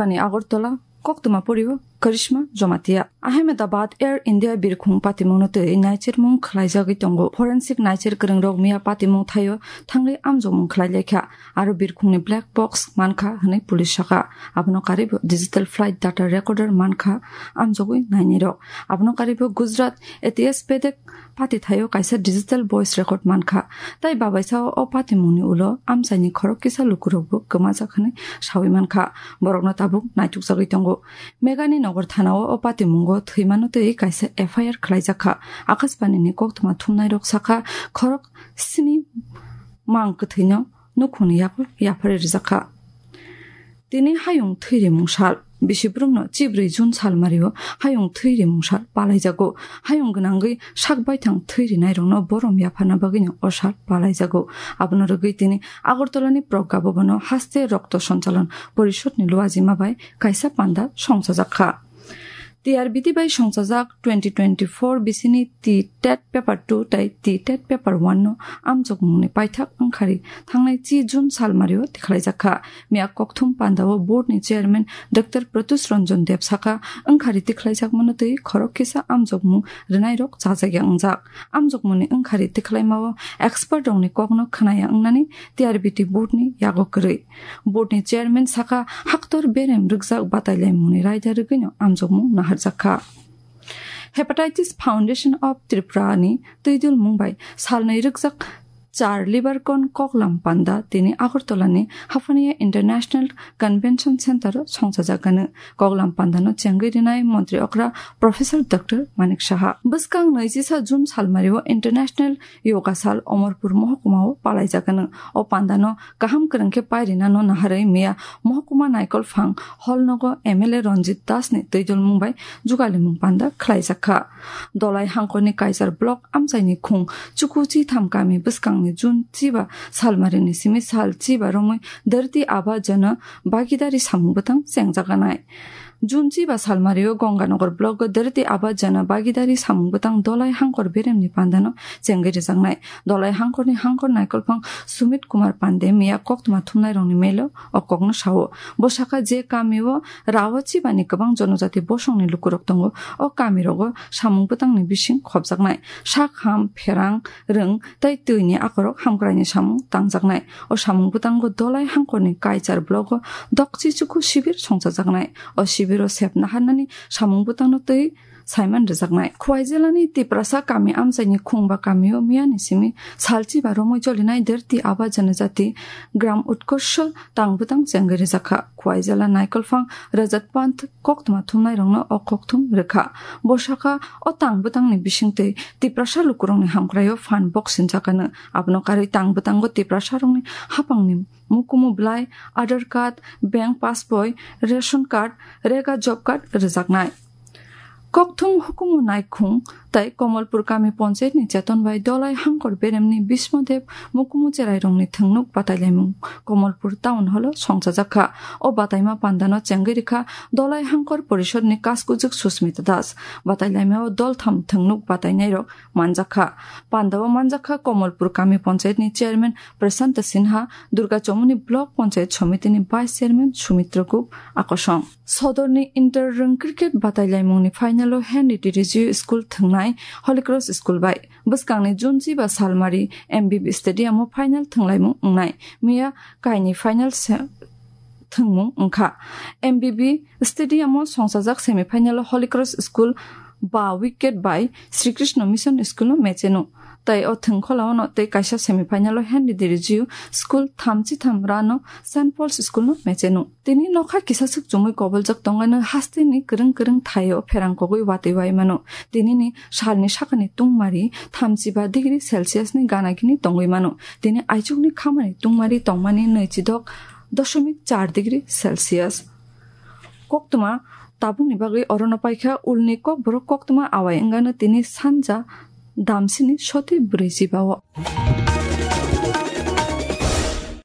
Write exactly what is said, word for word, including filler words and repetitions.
Ani Agartala, koktwma porio Karishma Jamatia. Ahmedabad Air India birkhung patimungno twi naichermung khlaijagwi tongo. Forensic naicher kwrwngrok miya patimung thaio thangwi amjokmung khlai laikha. Aro birkhungni black box mankha hwnwi police sakha. Abono karwibo digital flight data recorder mankha amjogwi nainirok. Abono karwibo Gujarat A T S Bedek pati thaio kaisa digital voice record mankha. Tai babaisao o patimungni ulo amchaini khorok kisa lukurokbo kwmajak hwnwi sawi mankha. Borokno tabuk naitukjagwi tongo. Megani Nagar thanao o patimungo thwimano twi kaisa F I R khlaijakha. Akashbanini koktwma thumnairok sakha, khorok sini mang kwthwino nukhungni yago yapharwi rwjakha. Tini hayung thwirimung sal. Bisi borokno chibrwi June salmario hayung thwirimung sal palaijago. Hayung gwnangwi sak baithang thwirinairokno borom yapharna bagwino o sal palaijago. Abono rwgwi tini Agartalani Pragya Bhavan-o haste Rokto Sanchalan Porishod-ni luajima bai kaisa panda songchajakha. T R B T bai songchajak twenty twenty-four bisini T tet paper two tai T tet paper one no amjokmungni paithak wngkhari thangnai chi June salmario tikhlaijakha. Miya kokthum pandao board ni chairman Doctor Pratyush Ranjan Deb sakha, wngkhari tikhlaijakmano twi khorok kisa amjokmung rwnairok chajagya wngjak. Amjokmungni wngkhari tikhlaimao expert rokni kokno khwnaya wngnani T R B T board ni yago kwrwi. Board ni chairman sakha, haktor berem rwkjak batailaimungni raida rwgwino amjokmung naharjakha. Hepatitis Foundation of Tripura ni twidulmung bai salnwi rwkjak char Livercon koklam panda tini Agartala ni Haphania International Convention Center o songchajakgano. Koklam panda no chengwi rinai montri okra Professor Doctor Manik Saha. Bwskang nwi chisa June salmario International Yoga Sal Omorpur Mohokuma o palaijakgano. O panda no kaham kwrwng khe pairina no naharwi miya Mohokuma Naikolphang Hall nogo M L A Ranjit Das ni twidulmung bai jugalimung panda khlaijakha. Dolai hangkorni Kaichar block amchaini khung Chuku Chitham kami bwskangni June chiba salmarini simi sal chiba romwi Dharti Aaba Jana Bhagidari samung bwtang chengjaganai. June chiba salmario Ganganagar block o Dharti Aaba Jana Bhagidari samung bwtang Dolai hangkor beremni pandano chengwi rwjaknai. Dolai hangkorni hangkor Naikolphang Sumit Kumar Pande miya koktwma thumnairokni melo o kokno sao. Bo sakha, je kamio rao chibani kwbang jonojati bosongni lukurok tongo, o kamirogo samung bwtangni bising khopjaknai. Sak ham, pherang, rwng tei twini akorok hamkraini samung tangjaknai. O samung bwtango Dolai hangkorni Kaichar blogo Dokchi Chuku sibir songchajaknai. O sibiro sep naharnani samung bwtangno twi saiman rwjaknai. Khwai jilani Tiprasa kami amchaini khungba kamio miyani simi salchiba romwi jolinai Dharti Aaba Janajati Gram Utkarsha tang bwtang chengwi rwjakha. Khwai jila Naikolphang Rajat Pant koktwma thumnairokno o kokthum rwkha. Bo sakha, o tang bwtangni bisingtwi Tiprasa lukurokni hamkraio phan boksinjakgano. Abono karwi tang bwtango Tiprasarokni hapangni mukumu bwlai, Aadhaar card, bank passboi, ration card, rega job card rwjaknai. Kokthum hukumu naikhung tai Komolpur kami ponchayetni cheton bai Dolai hangkor beremni Bismo Dev mukumu cherairokni thwngnuk batailaimung Komolpur town hall o songchajakha. O bataima pandano chengwi rwkha Dolai hangkor porishodni kaskujwk Susmita Das. Batailaimao doltham thwngnuk batainairok manjakha. Pandao manjakha Komolpur kami ponchayetni chairman Prashanta Sinha, Durga Chomoni Block Panchayat Somitini Vice Chairman Sumitra Gup akosong. Sodorni Inter Rwng Cricket Batailaimungni final-o Henry T Rijio School thwngnai Holy Cross School bai. Bwskangni June chiba salmari M B B Stadium-o final thwnglaimung wngnai. Miya kaini final se-, thwngmung wngkha. M B B Stadium-o songchajak semi final-o Holy Cross School ba wicket bai Sri Krishna Mission School-no match-eno. Tai o thwngkholaono tei kaisa semi final-o Henry T Rijio School thamchi tham run-o Saint Paul's School-no match-eno. Tini nokha kisaswk chumui koboljak tongano hasteni kwrwng kwrwng thaio pherang kogwi watwi wai mano. Tinini salni sakani tungmari thamchi ba degree Celsius-ni gana gini tongwi mano. Tini aichukni khamani tungmari tongmani nwichidok doshomik char degree Celsius. Koktwma tabukni bagwi orono paikha ulni kokborok koktwma awai wngano tini sanja damsini soti brwi jibao.